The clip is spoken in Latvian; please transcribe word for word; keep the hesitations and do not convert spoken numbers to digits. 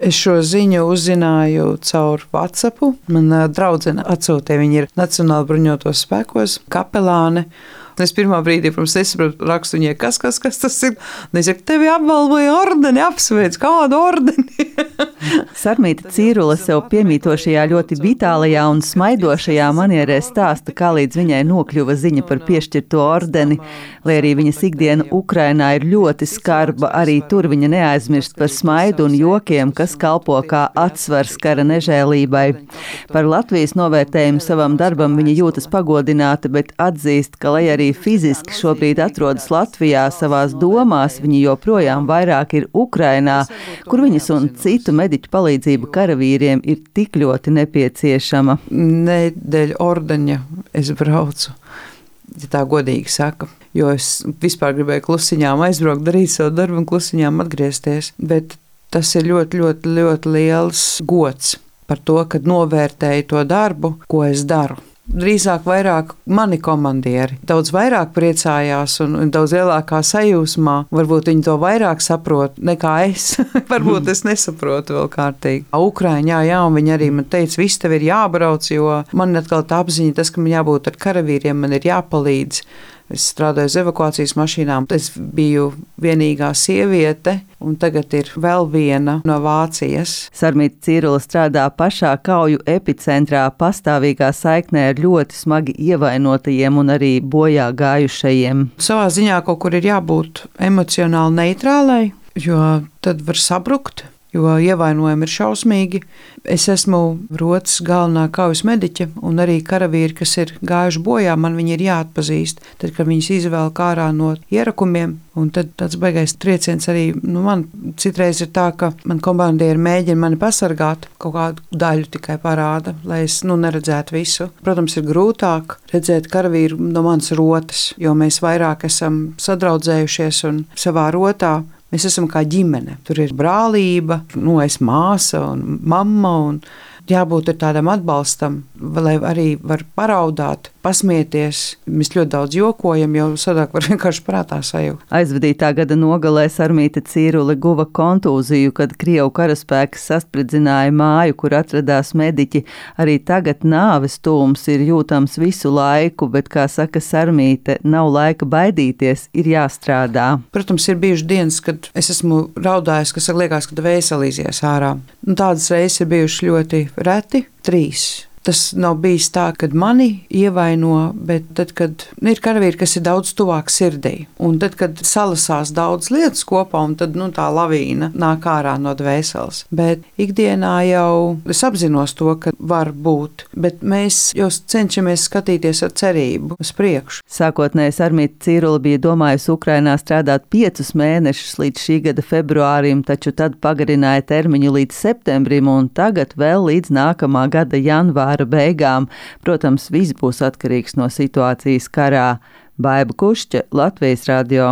Es šo ziņu uzzināju caur WhatsApp. Mana draudzene atsūtīja, viņa ir Nacionāla bruņotos spēkos, kapelāne. Es pirmā brīdī, protams, nesaprotu, rakstu viņai, kas, kas, kas tas ir. Un es saku, tevi apbalvoja ordeni, apsveic, kādu ordeni? Sarmīta Cīrule sev piemītošajā ļoti vitālajā un smaidošajā manierē stāsta, kā līdz viņai nokļuva ziņa par piešķirto ordeni. Lai arī viņas ikdiena Ukrainā ir ļoti skarba, arī tur viņa neaizmirst par smaidu un jokiem, kas kalpo kā atsvars kara nežēlībai. Par Latvijas novērtējumu savam darbam viņa jūtas pagodināta, bet atzīst, ka, lai arī fiziski šobrīd atrodas Latvijā, savās domās viņa joprojām vairāk ir Ukrainā, kur viņas un citu mediķu palīdzība karavīriem ir tik ļoti nepieciešama. Nedēļu ordeņa es braucu, ja tā godīgi saka, jo es vispār gribēju klusiņām aizbraukt, darīt savu darbu un klusiņām atgriezties, bet tas ir ļoti, ļoti, ļoti liels gods par to, kad novērtēju to darbu, ko es daru. Drīzāk vairāk mani komandieri daudz vairāk priecājās un, un daudz lielākā sajūsmā. Varbūt viņi to vairāk saprot nekā es. Varbūt es nesaprotu vēl kārtīgi. Ukraiņā, jā, un viņi arī man teica, viss tev ir jābrauc, jo man atkal tā apziņa, tas, ka man jābūt ar karavīriem, man ir jāpalīdz. Es strādāju uz evakuācijas mašīnām. Es biju vienīgā sieviete, un tagad ir vēl viena no Vācijas. Sarmīta Cīrule strādā pašā kauju epicentrā, pastāvīgā saiknē ar ļoti smagi ievainotajiem un arī bojā gājušajiem. Savā ziņā kaut kur ir jābūt emocionāli neitrālai, jo tad var sabrukt. Jo ievainojumi ir šausmīgi. Es esmu rotas galvenā kaujas mediķe, un arī karavīri, kas ir gājuši bojā, man viņi ir jāatpazīst. Tad, kad viņus izvēl ārā no ierakumiem, un tad tāds baigais trieciens arī, nu man citreiz ir tā, ka man komandieri mēģina mani pasargāt, kaut kādu daļu tikai parāda, lai es, nu, neredzētu visu. Protams, ir grūtāk redzēt karavīru no manas rotas, jo mēs vairāk esam sadraudzējušies un savā rotā. Mēs esam kā ģimene. Tur ir brālība, nu, es māsa un mamma, un jābūt tādam atbalstam, lai arī var paraudāt, pasmieties. Mēs ļoti daudz jokojam, jo sadāk var vienkārši prātā sajūt. Aizvadītā gada nogalē Sarmīta Cīrule guva kontūziju, kad Krievu karaspēki saspridzināja māju, kur atradās mediķi. Arī tagad nāves tūms ir jūtams visu laiku, bet, kā saka Sarmīte, nav laika baidīties, ir jāstrādā. Protams, ir bijuši dienas, kad es esmu raudājis, kas liekas, ka vēselīsies ārā. Un tādas reizes ir bijušas ļoti reti, trīs. Tas nav bijis tā, kad mani ievaino, bet tad, kad ir karavīri, kas ir daudz tuvāk sirdī. Un tad, kad salasās daudz lietas kopā, un tad, nu, tā lavīna nāk ārā no dvēseles. Bet ikdienā jau es apzinos to, ka var būt, bet mēs jau cenšamies skatīties ar cerību uz priekšu. Sākotnēji Sarmīta Cīrule bija domājusi Ukrainā strādāt piecus mēnešus līdz šī gada februārim, taču tad pagarināja termiņu līdz septembrim un tagad vēl līdz nākamā gada janvārim. Beigām. Protams, viss būs atkarīgs no situācijas karā. Baiba Kušķa, Latvijas radio.